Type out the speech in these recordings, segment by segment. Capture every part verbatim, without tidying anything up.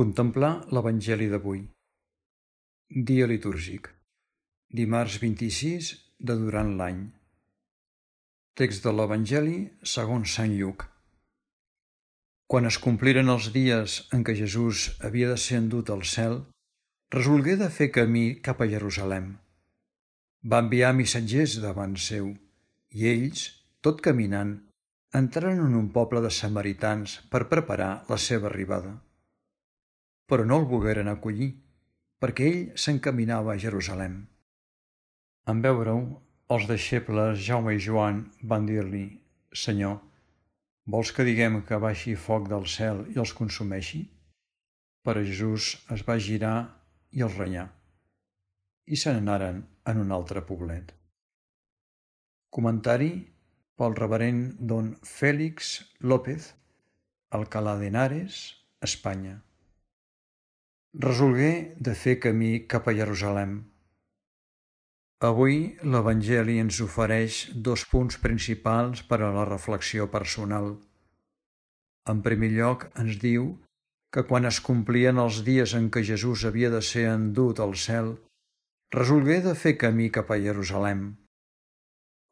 Contemplar l'Evangeli d'avui. Dia litúrgic. Dimarts vint-i-sis de durant l'any. Text de l'Evangeli segons Sant Lluc. Quan es compliren els dies en què Jesús havia de ser endut al cel, resolgué de fer camí cap a Jerusalem. Va enviar missatgers davant seu, i ells, tot caminant, entraren en un poble de samaritans per preparar la seva arribada. Però no el volgueren acollir, perquè ell s'encaminava a Jerusalem. En veure-ho, els deixebles Jaume i Joan van dir-li: «Senyor, vols que diguem que baixi foc del cel i els consumeixi?» Però Jesús es va girar i els renyà, i se n'anaren en un altre poblet. Comentari pel reverend don Félix López, Alcalá de Henares, Espanya. Resolgué de fer camí cap a Jerusalem. Avui l'Evangeli ens ofereix dos punts principals per a la reflexió personal. En primer lloc, ens diu que quan es complien els dies en què Jesús havia de ser endut al cel, resolgué de fer camí cap a Jerusalem.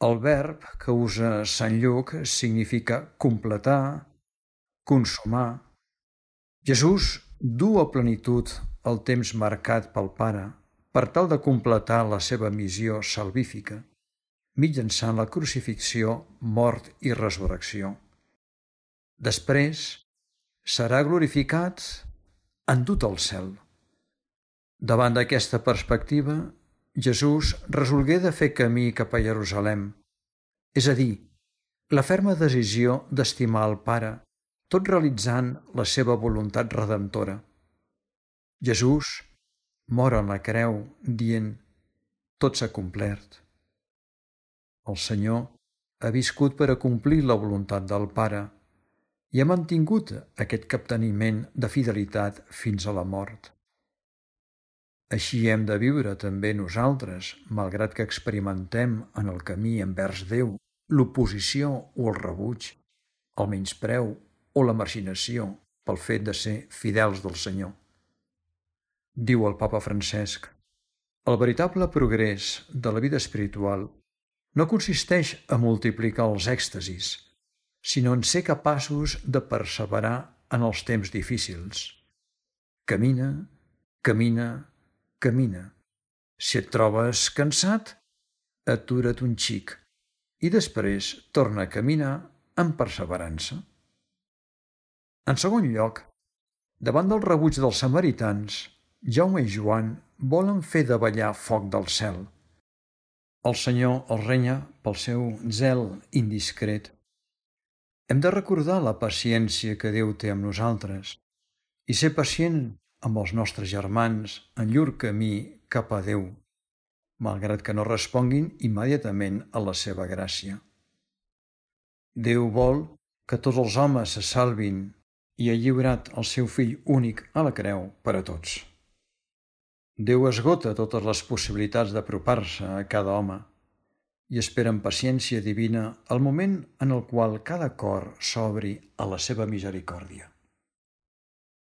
El verb que usa Sant Lluc significa completar, consumar. Jesús du a plenitud el temps marcat pel Pare per tal de completar la seva missió salvífica, mitjançant la crucifixió, mort i resurrecció. Després serà glorificat endut al cel. Davant d'aquesta perspectiva, Jesús resolgué de fer camí cap a Jerusalem, és a dir, la ferma decisió d'estimar el Pare, tot realitzant la seva voluntat redemptora. Jesús mor en la creu dient: «Tot s'ha complert». El Senyor ha viscut per a complir la voluntat del Pare i ha mantingut aquest capteniment de fidelitat fins a la mort. Així hem de viure també nosaltres, malgrat que experimentem en el camí envers Déu l'oposició o el rebuig, el menyspreu o la marginació pel fet de ser fidels del Senyor. Diu el Papa Francesc: el veritable progrés de la vida espiritual no consisteix a multiplicar els èxtasis, sinó en ser capaços de perseverar en els temps difícils. Camina, camina, camina. Si et trobes cansat, atura't un xic i després torna a caminar amb perseverança. En segon lloc, davant del rebuig dels samaritans, Jaume i Joan volen fer davallar foc del cel. El Senyor els renya pel seu zel indiscret. Hem de recordar la paciència que Déu té amb nosaltres i ser pacient amb els nostres germans en llur camí cap a Déu, malgrat que no responguin immediatament a la seva gràcia. Déu vol que tots els homes se salvin i ha lliurat el seu fill únic a la creu per a tots. Déu esgota totes les possibilitats d'apropar-se a cada home i espera amb paciència divina el moment en el qual cada cor s'obri a la seva misericòrdia.